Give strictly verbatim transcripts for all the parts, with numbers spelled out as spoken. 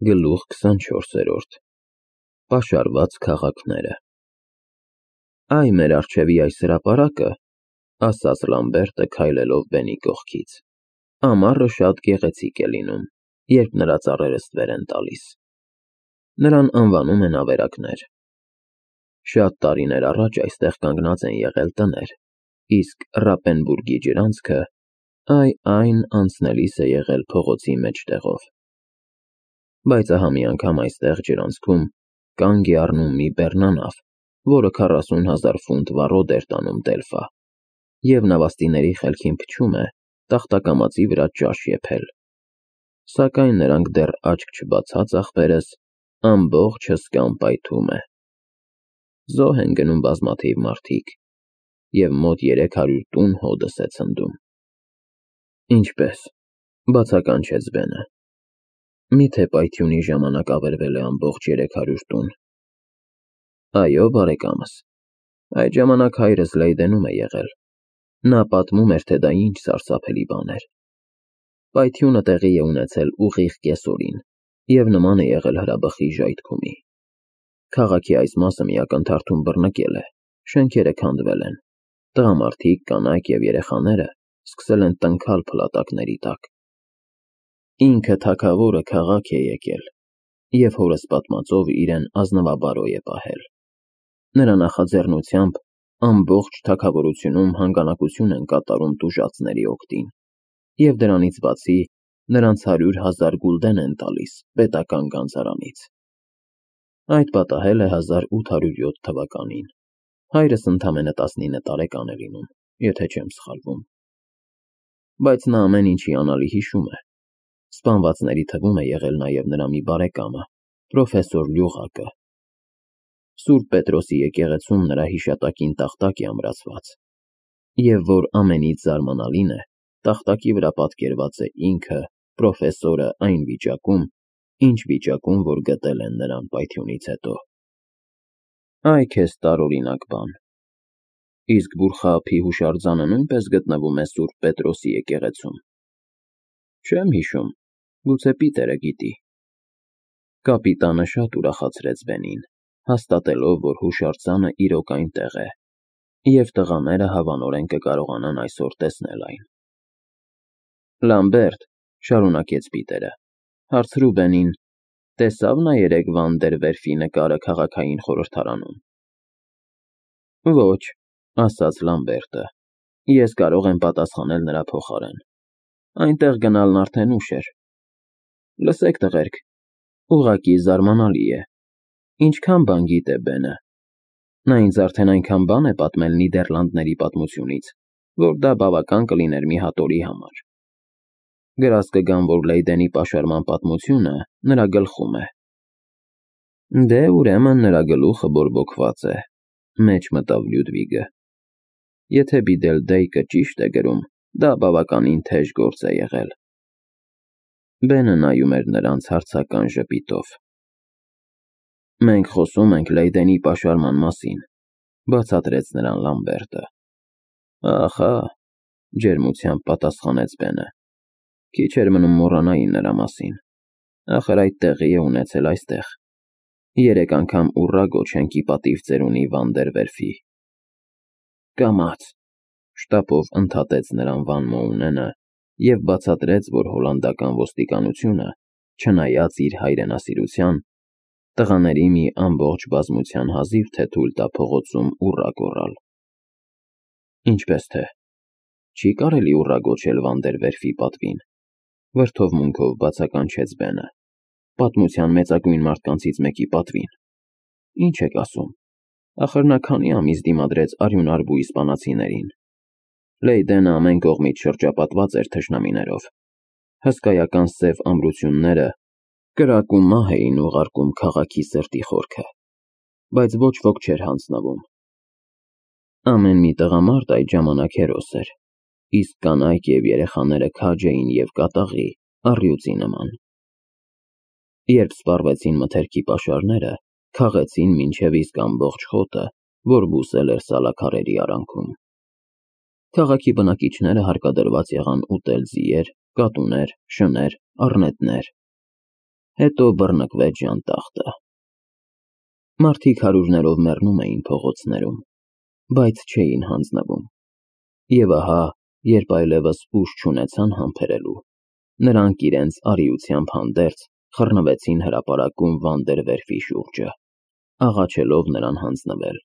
Գլուխ քսանչորսերորդ Պաշարված քաղաքները Այ մեր առջևի այս հրապարակը, ասաց Լամբերտը քայլելով բենի կողքից, ամառը շատ գեղեցիկ է լինում, երբ նրա ծառերը ստվեր են տալիս, նրան անվանում են ավերակներ, շատ տարիներ առաջ այստեղ կանգնած են եղել տներ, իսկ Ռապենբուրգի ջրանցքը, այ այն անցնելիս է եղել փողոցի մեջտեղով, բայց ահա մի անգամ այստեղ ջրանցքում կանգ է առնում մի բեռնանավ, որը քառասուն հազար ֆունտ վառոդ էր տանում Դելֆա, և նավաստիների խելքին փչում է տախտակամածի վրա ճաշ եփել, սակայն նրանք դեռ աչք չբացած ախպերս ամբողջ հսկան պայթում է, զոհ են գնում բազմաթիվ մարդիկ, և մոտ երեք հարյուր տուն հոդս է ցնդում։ Ինչպե՞ս, բացականչեց Բենը, միթե պայթյունի ժամանակ ավերվել է ամբողջ երեք հարյուր տուն։ Այո, բարեկամս, այդ ժամանակ հայրս Լեյդենում է եղել, նա պատմում էր, թե դա ինչ սարսափելի բան էր։ Պայթյունը տեղի է ունեցել ուղիղ կեսօրին և նման է եղել հրաբխի ժայթքումի։ Քաղաքի այս մասը մի ակնթարթում բռնկել է, շենքերը քանդվել են, տղամարդիկ, կանայք և երեխաները սկսել են տնքալ փլատակների տակ։ Ինքը թագավորը քաղաք է եկել և հորս պատմածով իրեն ազնվաբարոյ է պահել։ Նրա նախաձեռնությամբ ամբողջ թագավորությունում հանգանակություն են կատարում տուժածների օգտին, և դրանից բացի նրանց հարյուր հազար գուլդեն են տալիս պետական գանձարանից։ Այդ պատահել է հազար ութ հարյուր յոթ թվականին, հայրս ընդամենը տասնինը տարեկան է լինում, եթե չեմ սխալվում։ Բայց նա ամեն ինչ հիանալի հիշում է, սպանվածների թվում է եղել նաև նրա մի բարեկամը, պրոֆեսոր Լյուղակը։ Սուրբ Պետրոսի եկեղեցում նրա հիշատակին տախտակ է ամրացված, և որ ամենից զարմանալին է, տախտակի վրա պատկերված է ինքը, պրոֆեսորը այն վիճակում, ինչ վիճակում, որ գտել են նրան պայթյունից հետո։ Այ քեզ տարօրինակ բան։ Իսկ Բուրխափի հուշարձանը նույնպես գտնվում է Սուրբ Պետրոսի եկեղեցում։ Չեմ հիշում, գուցե Պիտերը գիտի։ Կապիտանը շատ ուրախացրեց Բենին, հաստատելով, որ հուշարձանը իրոք այնտեղ է, և տղաները հավանորեն կկարողանան այսօր տեսնել այն։ Լամբերտ, շարունակեց Պիտերը, հարցրու Բենին, տեսավ նա երեկ Վան դեր Վերֆի նկարը քաղաքային խորհրդարանում։ Ոչ, ասաց Լամբերտը, ես կարող եմ պատասխանել նրա փոխարեն։ Այնտեղ գնալն արդեն ուշ էր։ Լսեք, տղերք, ուղղակի զարմանալի է, ինչքան բան գիտե Բենը։ Նա ինձ արդեն այնքան բան է պատմել Նիդերլանդների պատմությունից, որ դա բավական կլիներ մի հատ օրի համար։ Գրած կգամ, որ Լեյդենի պաշարման պատմությունը նրա գլխում է։ Դե, ուրեմն նրա գլուխը բորբոքված է, մեջ մտավ Լյուդվիգը։ Եթե Բիդելդեյկը ճիշտ է գրում, դա բավականին թեժ գործ է եղել։ Բենը նայում էր նրանց հարցական ժպիտով։ Մենք խոսում ենք Լեյդենի պաշարման մասին, բացատրեց նրան Լամբերտը։ Ահա, ջերմությամբ պատասխանեց Բենը։ Քիչ էր մնում մոռանայի նրա մասին, ախր այդ տեղի է ունեցել այստեղ։ Երեք անգամ ուռա գոչենք ի պատիվ ծերունի Վան դեր Վերֆի։ Կամաց, շտապով ընդհատեց նրան Վան Մոունենը և բացատրեց, որ հոլանդական ոստիկանությունը, չնայած իր հայրենասիրության, տղաների մի ամբողջ բազմության հազիվ թե թույլ տա փողոցում ուռա գոռալ։ Ինչպես թե, չի կարելի ուռա գոչել Վան դեր Վերֆի պատվին, վրդովմունքով բացականչեց Բենը, պատմության մեծագույն մարդկանցից մեկի պատվին։ Ինչ եք ասում, ախր նա քանի ամիս դիմադրեց արյունարբու իսպանացիներին։ Լեյդենը ամեն կողմից շրջապատված էր թշնամիներով, հսկայական սև ամրությունները կրակ ու մահ էին ուղարկում քաղաքի սրտի խորքը, բայց ոչ ոք չէր հանձնվում։ Ամեն մի տղամարդ այդ ժամանակ հերոս էր, իսկ կանայք և երեխաները քաջ էին և կատաղի, առյուծի նման։ Երբ սպառվեցին մթերքի պաշարները, քաղեցին մինչև իսկ ամբողջ խոտը, որ բուսել էր սալաքարերի արանքում։ Քաղաքի բնակիչները հարկադրված եղան ուտել ձիեր, կատուներ, շներ, առնետներ։ հետո բռնկվեց ժանտախտը։ Մարդիկ հարյուրներով մեռնում էին փողոցներում, բայց չէին հանձնվում։ Եվ ահա, երբ այլևս ուժ չունեցան համբերելու, նրանք իրենց արիությամբ հանդերձ խռնվեցին հրապարակում Վանդերվերֆի շուրջը, աղաչելով նրան հանձնվել։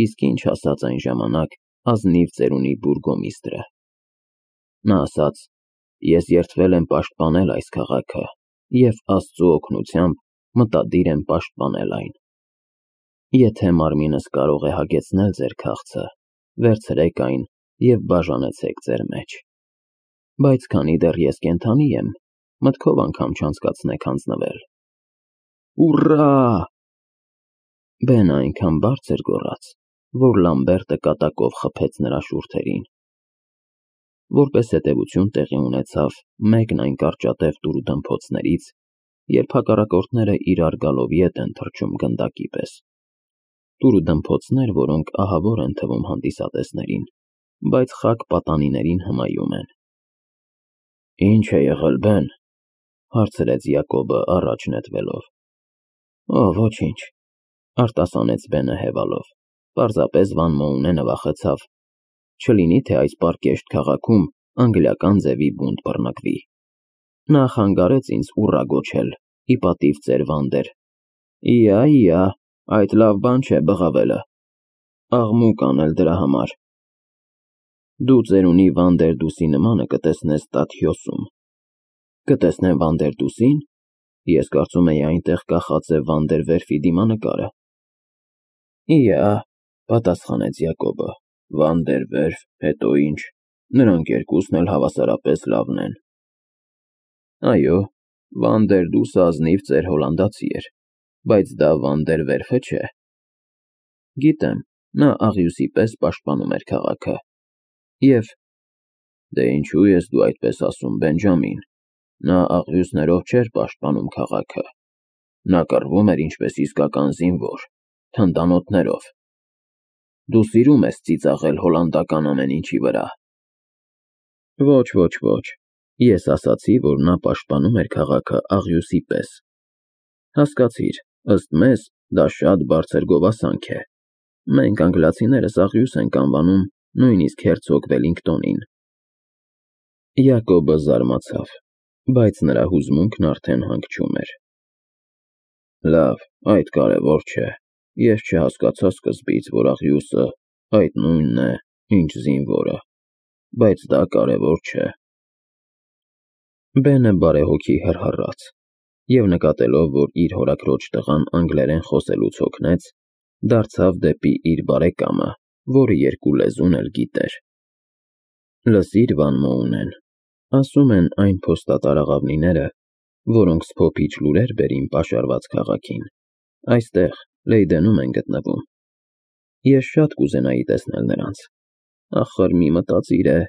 Իսկ ինչ ասաց այն ժամանակ ազնիվ ծերունի բուրգոմիստրը։ Նա ասաց. «Ես երդվել եմ պաշտպանել այս քաղաքը և Աստծու օգնությամբ մտադիր եմ պաշտպանել այն։ Եթե մարմինս կարող է հագեցնել ձեր քաղցը, վերցրեք այն և բաժանեցեք ձեր մեջ։ Բայց քանի դեռ ես կենդանի եմ, մտքով անգամ չանցկացնեք հանձնվել»։ Ուռա։ Բենը այնքան բարձր գոռաց, որ Լամբերտը կատակով խփեց նրա շուրթերին։ Որպես հետևություն տեղի ունեցավ մեկն այն կարճատև տուրուդմփոցներից, երբ հակառակորդները իրար գալով ետ են թռչում գնդակի պես։ Տուրուդմփոցներ, որոնք ահավոր են թվում հանդիսատեսներին, բայց խաք պատանիներին հմայում են։ Ինչ է եղել, Բեն, հարցրեց Յակոբը առաջ նետվելով։ Օ, ոչինչ, արտասանեց Բենը հևալով, պարզապես Վան Մոունենը վախեցավ, չլինի թե այս պարկեշտ քաղաքում անգլիական ձևի բունտ բռնկվի։ Նա խանգարեց ինձ ուռա գոչել, ի պատիվ ձեր Վանդեր։ Իա, իա, այդ լավ բան չէ բղավելը, աղմուկ անել դրա համար։ Դու ծերունի Վանդերդուսի նմանը կտեսնես Տաթյոսում։ Կտեսնեմ Վանդերդուսի՞ն։ Ես կարծում էի այնտեղ կախած է Վանդերվերֆի դիմանկարը։ Իա, պատասխանեց Յակոբը, Վանդերվերֆ, հետո ինչ, նրանք երկուսն էլ հավասարապես լավն են։ Այո, Վանդերդուսը ազնիվ ծեր հոլանդացի էր, բայց դա Վանդերվերֆը չէ։ Գիտեմ, նա աղյուսի պես պաշտպանում էր քաղաքը։ Եվ դե ինչու ես դու այդպես ասում, Բենջամին, նա աղյուսներով չէր պաշտպանում քաղաքը։ Նա կռվում էր ինչպես իսկական զինվոր, թնդանոթներով։ Դու սիրում ես ծիծաղել հոլանդական ամեն ինչի վրա։ Ոչ, ոչ, ոչ, ես ասացի, որ նա պաշտպանում էր քաղաքը աղյուսի պես։ Հասկացիր, ըստ մեզ, դա շատ բարձր գովասանք է։ Մենք անգլիացիներս աղյուս ենք անվանում նույնիսկ հերցոգ Վելինգտոնին։ Յակոբը զարմացավ, բայց նրա հուզմունքն արդեն հանգչում էր։ Լավ, այդ կարևոր չէ։ Ես չհասկացա սկզբից, որ աղյուսը այդ նույնն է, ինչ զինվորը, բայց դա կարևոր չէ։ Բենը բարեհոգի հռհռաց և նկատելով, որ իր հորաքրոջ տղան անգլերեն խոսելուց հոգնեց, դարձավ դեպի իր բարեկամը, որը երկու լեզուն էլ գիտեր։ Լսիր, Վան Մոունեն, ասում են այն փոստատար աղավնիները, որոնք սփոփիչ լուրեր բերին պաշարված քաղաքին, այստեղ Լեյդենում են գտնվում։ Ես շատ կուզենայի տեսնել նրանց։ Ախր մի մտածիր է,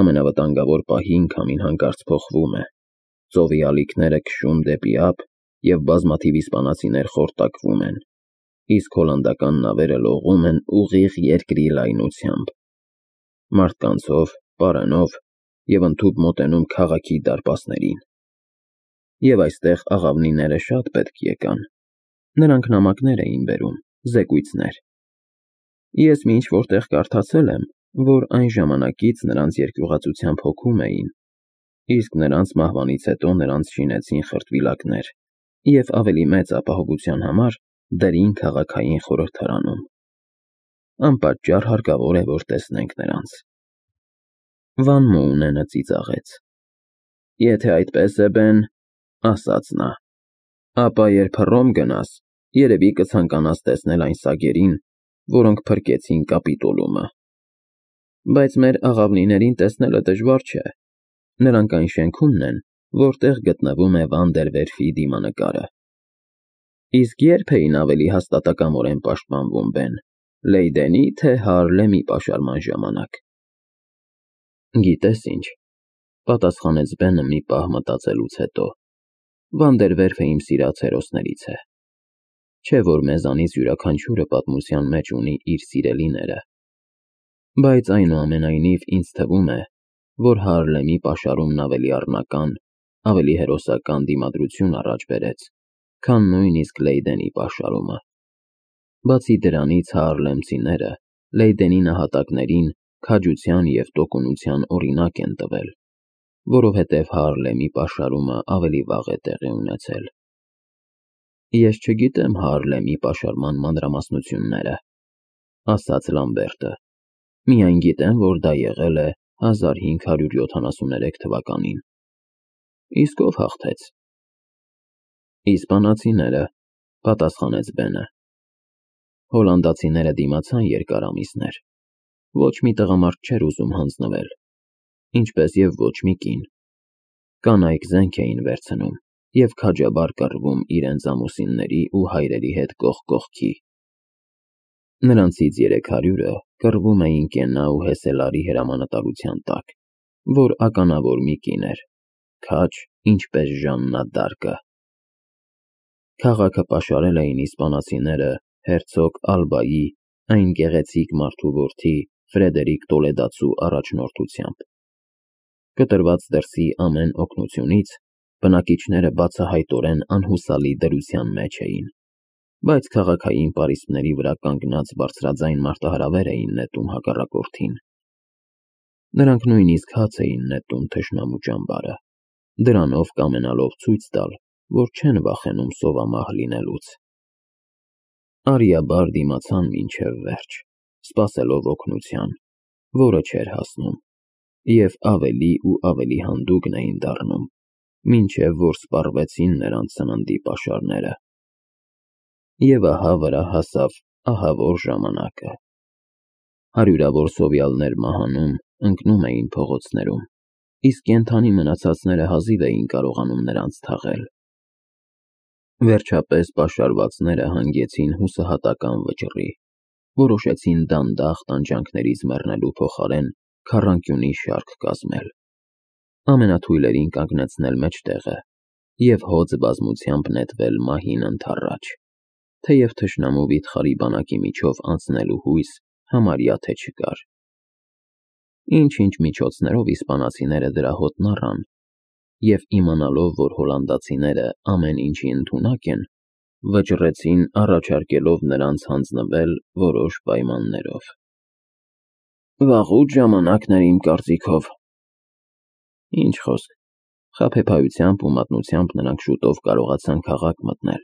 ամենավտանգավոր պահին քամին հանկարծ փոխվում է, ծովի ալիքները քշում դեպի ափ և բազմաթիվ իսպանացիներ խորտակվում են, իսկ հոլանդական նավերը լողում են ուղիղ երկրի լայնությամբ, մարդկանցով, պարենով և ընդհուպ մոտենում քաղաքի դարպասներին։ Եվ այստեղ աղավնիները շատ պետք եկան։ Նրանք նամակներ էին բերում, զեկույցներ։ Ես մի ինչ-որ տեղ կարդացել եմ, որ այն ժամանակից նրանց երկյուղածությամբ հոգում էին, իսկ նրանց մահվանից հետո նրանց շինեցին խրտվիլակներ և ավելի մեծ ապահովության համար դրին քաղաքային խորհրդարանում։ Անպատճառ հարկավոր է, որ տեսնենք նրանց։ Վան Մոունենը ծիծաղեց։ Եթե այդպես է, Բեն, ասաց նա, ապա երբ Հռոմ գնաս, երևի կցանկանաս տեսնել այն սագերին, որոնք փրկեցին Կապիտոլումը։ Բայց մեր աղավնիներին տեսնելը դժվար չէ։ Նրանք այն շենքումն են, որտեղ գտնվում է Վանդերվերֆի դիմանկարը։ Իսկ երբ էին ավելի հաստատակամորեն պաշտպանվում, Բեն, Լեյդենի, թե Հարլեմի պաշարման ժամանակ։ Գիտես ինչ, պատասխանեց Բենը մի պահ մտածելուց հետո, Վանդերվերֆը իմ սիրած հերոսներից է։ Չէ՞ որ մեզանից յուրաքանչյուրը պատմության մեջ ունի իր սիրելիները։ Բայց այնուամենայնիվ ինձ թվում է, որ Հարլեմի պաշարումն ավելի առնական ավելի հերոսական դիմադրություն առաջ բերեց, քան նույնիսկ Լեյդենի պաշարումը։ Բացի դրանից Հարլեմցիները Լեյդենի նահատակներին քաջության և տոկունության օրինակ են տվել, որովհետև Հարլեմի պաշարումը ավելի վաղ է տեղի ունեցել։ Ես չգիտեմ Հարլեմի պաշարման մանրամասնությունները, ասաց Լամբերտը, միայն գիտեմ, որ դա եղել է հազար հինգ հարյուր յոթանասուններեք թվականին։ Իսկ ով հաղթեց։ Իսպանացիները, պատասխանեց Բենը։ Հոլանդացիները դիմացան երկար ամիսներ։ Ոչ մի տղամարդ չէր ուզում հանձնվել, ինչպես և ոչ մի կին։ Կանայք զենք էին վերցնում և քաջաբար կռվում իրենց ամուսինների ու հայրերի հետ կողք կողքի։ Նրանցից երեք հարյուրը կռվում էին Կենա ու Հեսելարի հրամանատարության տակ, որ ականավոր մի կին էր, քաջ, ինչպես Ժաննա դ'Արկը։ Քաղաքը պաշարել էին իսպանացիները հերցոգ Ալբայի, այն գեղեցիկ մարդու որդի Ֆրեդերիկ Տոլեդացու առաջնորդությամբ։ Կտրված դրսի ամեն օգնությունից բնակիչները բացահայտորեն անհուսալի դրության մեջ էին, բայց քաղաքային պարիսպների վրա կանգնած բարձրաձայն մարտահրավեր էին նետում հակառակորդին։ Նրանք նույնիսկ հաց էին նետում թշնամու ճամբարը, դրանով կամենալով ցույց տալ, որ չեն վախենում սովամահ լինելուց։ Արիաբար դիմացան մինչև վերջ, սպասելով օգնության, որը չէր հասնում, և ավելի ու ավելի հանդուգն էին դառնում, մինչև որ սպառվեցին նրանց սննդի պաշարները։ Եվ ահա վրա հասավ ահավոր ժամանակը։ Հարյուրավոր սովյալներ մահանում, ընկնում էին փողոցներում, իսկ կենդանի մնացածները հազիվ էին կարողանում նրանց թաղել։ Վերջապես պաշարվածները հանգեցին հուսահատական վճռի, որոշեցին դանդաղ տանջանքներից մեռնելու փոխարեն քառանկյունի շարք կազմել, ամենաթույլերին կանգնեցնել մեջտեղը և հոծ բազմությամբ նետվել մահին ընդառաջ, թեև թշնամու վիթխարի բանակի միջով անցնելու հույս համարյա թե չկար։ Ինչ-ինչ միջոցներով իսպանացիները դրա հոտն առան և իմանալով, որ հոլանդացիները ամեն ինչի ընդունակ են, վճռեցին առաջարկելով նրանց հանձնվել որոշ պայմաններով։ Վաղուց ժամանակն էր իմ կարծիքով։ Ինչ խոսք, խաբեբայությամբ ու մատնությամբ նրանք շուտով կարողացան քաղաք մտնել,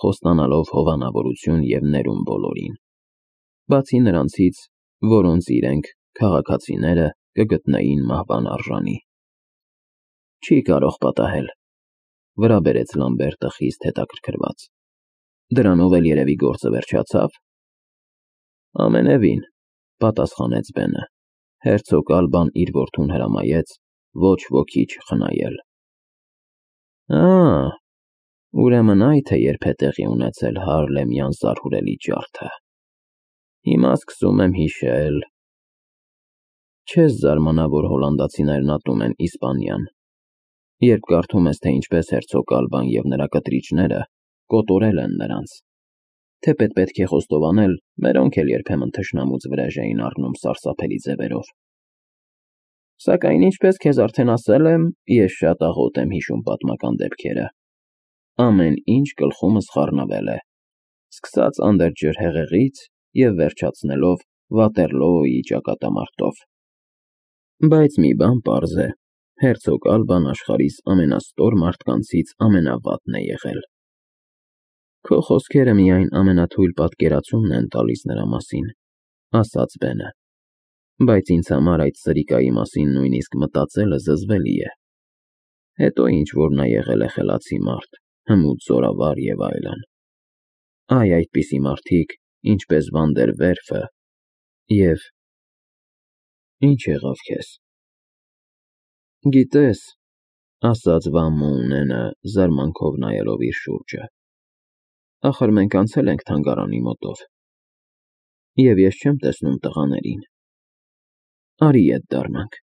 խոստանալով հովանավորություն և ներում բոլորին, բացի նրանցից, որոնց իրենք, քաղաքացիները, կգտնեին մահվան արժանի։ Չի կարող պատահել, վրա բերեց Լամբերտը խիստ հետաքրքրված։ Դրանով էլ երևի գործը վերջացավ։ Ամենևին, պատասխանեց Բենը, հերցոգ Ալբան իր որդուն հրամայեց ոչ ոքի չխնայել։ Ա, ուրեմն այդ է երբ է տեղի ունեցել Հարլեմյան զարհուրելի ջարդը։ Հիմա սկսում եմ հիշել։ Չես զարմանա, որ հոլանդացիներն ատում են Իսպանիան, երբ կարդում ես, թե ինչպես հերցոգ Ալբան և նրա կտրիչները կոտորել են նրանց, թեպետ պետք է խոստովանել, մերոնք էլ երբեմն թշնամուց վրեժ էին առնում սարսափելի ձևերով։ Սակայն ինչպես քեզ արդեն ասել եմ, ես շատ աղոտ եմ հիշում պատմական դեպքերը։ Ամեն ինչ գլխումս խառնվել է, սկսած Անդերջրհեղեղից և վերջացնելով Վատերլոոյի ճակատամարտով։ Բայց մի բան պարզ է, հերցոգ Ալբան աշխարհիս ամենաստոր մարդկանցից ամենավատն է եղել։ Քո խոսքերը միայն ամենաթույլ պատկերացումն են տալիս նրա մասին, ասաց Բենը, բայց ինձ համար այդ սրիկայի մասին նույնիսկ մտածելը զզվելի է։ Հետո ինչ որ նա եղել է խելացի մարդ, հմուտ զորավար և այլն։ Այ այդպիսի մարդիկ, ինչպես Վանդերվերֆը և… Ինչ եղավ քեզ։ Գիտես, ասաց Վան Մոունենը, զարմանքով նայելով իր շուրջը, ախր մենք անցել ենք թանգարանի մոտով, և ես չեմ տեսնում տղաներին։ Արի ետ դառնանք։